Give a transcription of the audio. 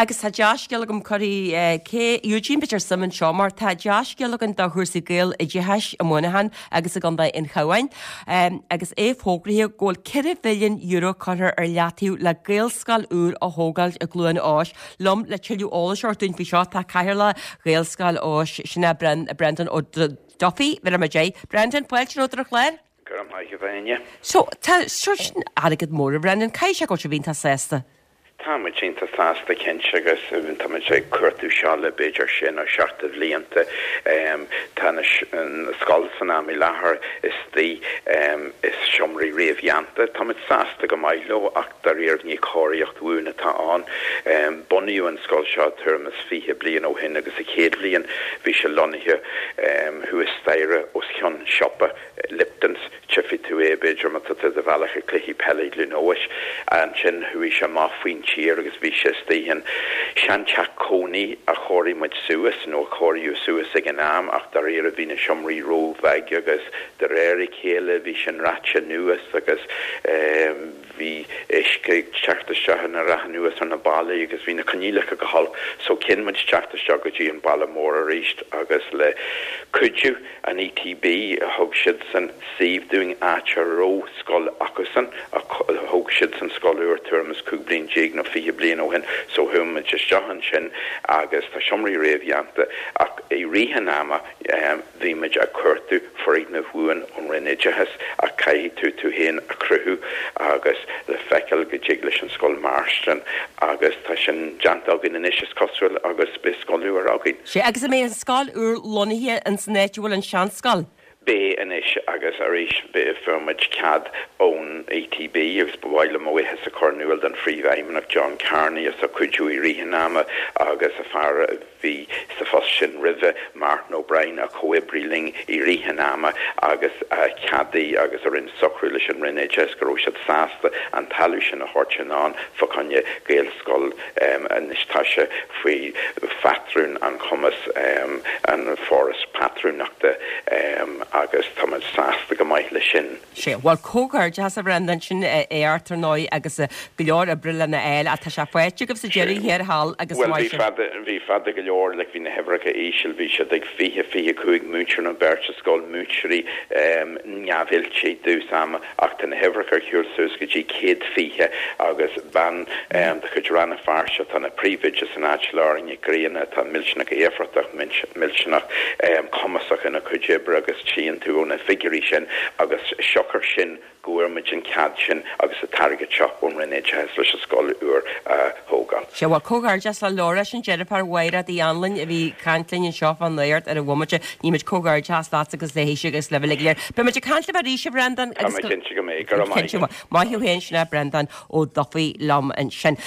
Agus tá dea-scéal agam, cuirfidh cé Eugene b'fhéidir suim anseo mar tá dea-scéal againn do chúrsaí Gaeloideachais i Muineachán agus i gContae an Chabháin agus é fógraithe go bhfuil €4 mhilliún curtha ar leataobh le Gaelscoil úr a thógáil i gCluain Eois. Liom le tuilleadh eolais a thabhairt dúinn faoi seo tá Cathaoirleach Ghaelscoil Eois, sin é Brendan Ó Dufaigh, bheireadh muid é. Brendan, fáilte romhat ar an chlár. Go raibh maith agat, a Áine. So, tá, seo sin airgead mór, a Bhrendan, caithfidh sé go bhfuil sibh iontach sásta. Tá muid iontach sásta cinnte agus tá muid ag cuartú seo le b'fhéidir sé nó seacht de bhlianta. Tá an scoil san am i láthair istigh i seomraí réamhdhéanta. Tá muid sásta go maith leo ach dáiríre ní cóiríocht bhuan atá ann. Bunaíodh an scoil seo tuairim is 20 bliain ó shin agus sa chéad bhliain bhí sé lonnaithe thuas staighre os cionn siopa Lipton's. Tchífidh tú é, b'fhéidir, má tá tú ar do bhealach ag cluichí peile i gCluain Eois. Ansin chuaigh sé amach faoin tír agus bhí sé istigh in seanteach cónaí a chóirigh muid suas, nó a cóiríodh suas ag an am, ach dáiríre bhí na seomraí róbheag agus de réir a chéile bhí sin reaite anuas agus bhí uisce ag teacht isteach ina rath anuas ar na ballaí agus bhí na coinníollacha go holc. So chinn muid teacht isteach go dtí an baile mór arís agus le cuidiú An ETB, thug siadsan suíomh dúinn, áit a raibh scoil acusan, thóg siadsan scoil úr tuairim is 15 bliain nó 20 bliain ó shin, so chuaigh muid isteach ansin agus tá seomraí réamhdhéanta ach i rith an ama bhí muid ag cuartú foirgneamh bhuan ón Roinn Oideachais ach caithfidh tú tú féin a chruthú agus le feiceáil go dtig leis an scoil mairstin agus tá sin déanta againn anois is cosúil agus beidh scoil úr againn. Sea, agus an mbeidh an scoil úr lonnaithe ins an áit a bhfuil an seanscoil? Beidh anois agus arís fuair muid cead ón ETB agus ba mhaith liom mo bhuíochas a chur in iúl don Phríomhfheidhmeannach John Kearney as a chuidiú i rith an ama agus a fear a bhí sa phost sin roimhe, Martin O'Brien, a chomhoibrigh linn i rith an ama agus a cheadaigh agus a rinne socrú leis an Roinn Oideachais go raibh siad sásta an talamh sin a thabhairt anonn fá choinne Gaelscoil Anois tá sé faoi phatrún an chumas, an Foras Pátrúnachta, agus tá muid sásta go maith leis sin. Sea, bhuel, comhghairdeachas a Bhrendan, sin éacht ar ndóigh agus go leor oibre lena fháil ach tá sé faighte agaibh sa deireadh thiar thall agus Bhuel, bhí fada, bhí fada go leor, like bhí na huimhreacha íseal, bhí siad ag 20, 25 múinteoir nó beirt sa scoil, múinteoirí neamhoilte i dtús ama. Ach tá na huimhreacha ar shiúl suas go dtí 120 agus bean de chuid Rann na Feirste atá ina príomhoide san áit, Laura Nic Grianna, atá millteanach éifeachtach, millteanach cumasach ina cuid oibre agus tchíonn tú ó na figiúirí sin agus siocair sin go bhfuair muid an cead sin agus an t-airgead seo ón Roinn Oideachais leis an scoil úr a thógáil. Sea, bhuel, comhghairdeas le Laura, sin deirfiúr Mhaighread Uí Anluain a bhí ag caint linn anseo fán nuacht ar an bhomaite. Ní muid comhghairdeas leatsa agus léithise agus libh uilig go léir. Beidh muid ag caint libh arís, a Bhreandáin, Tá mé cinnte go mbeidh. Go raibh maith agat. Maith thú féin, sin é Breandán Ó Dufaigh liom ansin.